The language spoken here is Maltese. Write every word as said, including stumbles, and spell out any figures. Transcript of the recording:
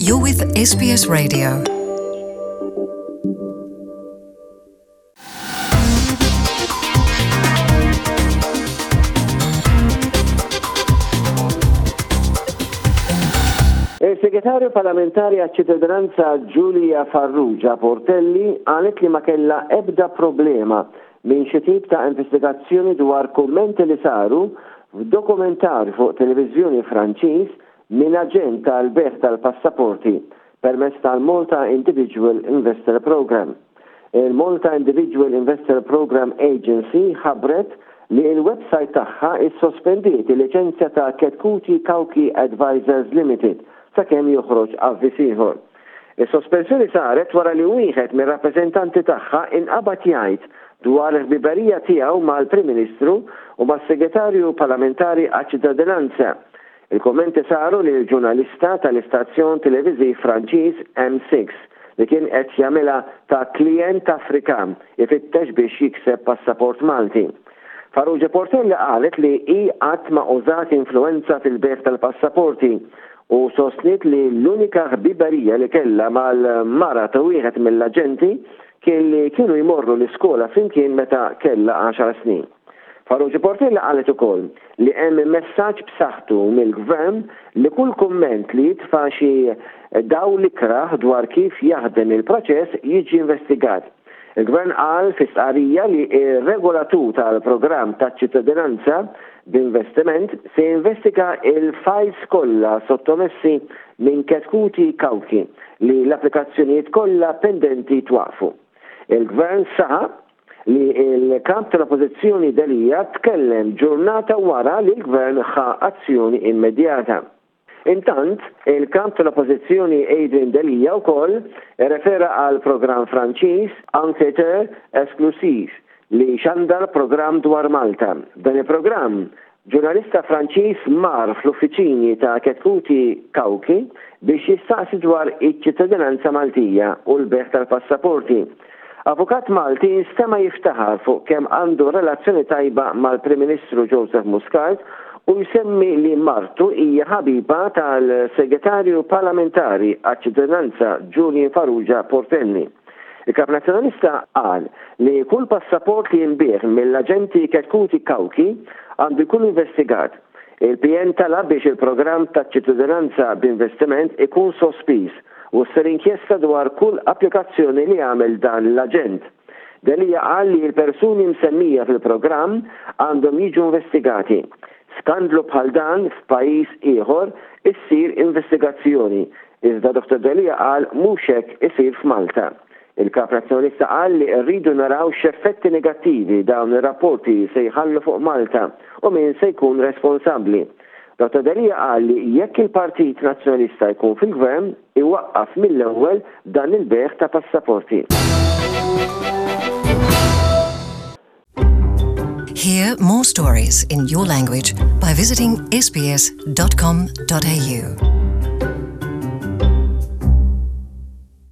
You're with S B S Radio. Il-Segretarju Parlamentari għaċ-Ċittadinanza Julia Farrugia Portelli qalet li ma kellha ebda problema minn xi tip ta' investigazzjoni dwar kummenti li saru f'dokumentarju fuq televiżjoni Franċiż minn aġent tal-bejgħ tal-passaporti permezz tal-Malta Individual Investor Program. Il-Malta Individual Investor Program Agency ħabbret li il-website tagħha issospendiet il-liċenzja ta' Chetcuti Cauchi Advisors Limited sakemm joħroġ avviż ieħor. Is-sospensjoni saret wara li wieħed mir-rappreżentanti tagħha inqabad jgħid dwar il-ħbiberija tiegħu mal-Prim Ministru u mas-Segretarju Parlamentari għaċ-Ċittadinanza. Il-kommenti saru lil ġurnalista tal-istazzjon televiżiv Franċiż M sitta li kien qed jagħmilha ta' klient Afrikan ifittex biex jikseb passaport Malti. Farrugia Portelli qalet li hi qatt ma użat influenza fil-bejgħ tal-passaporti u sostniet li l-unika ħbiberija li kellha mal-mara ta' wieħed mill-aġenti kien li kienu jmorru l-iskola flimkien meta kellha għaxar snin. Farrugia Portelli qalet ukoll li hemm messaġġ b'saħħtu mill-gvern li kull kumment li jitfa' xi dawl ikrah dwar kif jaħdem il-proċess jiġi investigat. Il-gvern qal fi stqarrija li ir-regolatur tal-programm taċ-ċittadinanza b'investiment se jinvestiga il-files kollha sottomessi minn Chetcuti Cauchi li l-applikazzjonijiet kollha pendenti twaqfu. Il-gvern saħaq li il-kap tal-oppożizzjoni Delia tkellem ġurnata wara li l-gvern ħa azzjoni immedjata. Intant, il-kap tal-oppożizzjoni Adrian Delia wkoll refera għal programm Franċiż Enquêteur Exclusif li xandar programm dwar Malta. Dan il-programm, ġurnalista Franċiż mar fl-uffiċini ta' Chetcuti Cauchi biex jistaqsi dwar iċ-ċittadinanza Maltija u l-bejgħ tal-passaporti. Avukat Malti instema' jiftaħar fuq kemm għandu relazzjoni tajba mal-Prim Ministru Joseph Muscat u jsemmi li martu hija ħabiba tal-Segretarju Parlamentari għaċ-Ċittadinanza Julian Farrugia Portelli. Il-Kap Nazzjonalista qal li kull passaport li jinbiegħ mill-aġenti Chetcuti Cauchi għandu jkun investigat. Il-P N talab biex il-programm ta' ċittadinanza b'investiment ikun sospiż u ssir inkjesta dwar kull applikazzjoni li għamel dan l-aġent. Delia qal li l-persuni msemmija fil-programm għandhom jiġu investigati. Skandlu bħal dan f'pajjiż ieħor issir investigazzjoni. Iżda Dottor Delia qal mhux hekk isir f'Malta. Il-kap nazzjonalista qal li rridu naraw x'effetti negattivi dawn ir-rapporti se jħallu fuq Malta u min se jkun responsabbli. Dottor Delia qal li jekk il-Partit Nazzjonalista jkun fil-gvern, iwaqqaf mill-ewwel dan il-bejgħ ta' passaporti. Hear more stories in your language by visiting S B S dot com dot A U.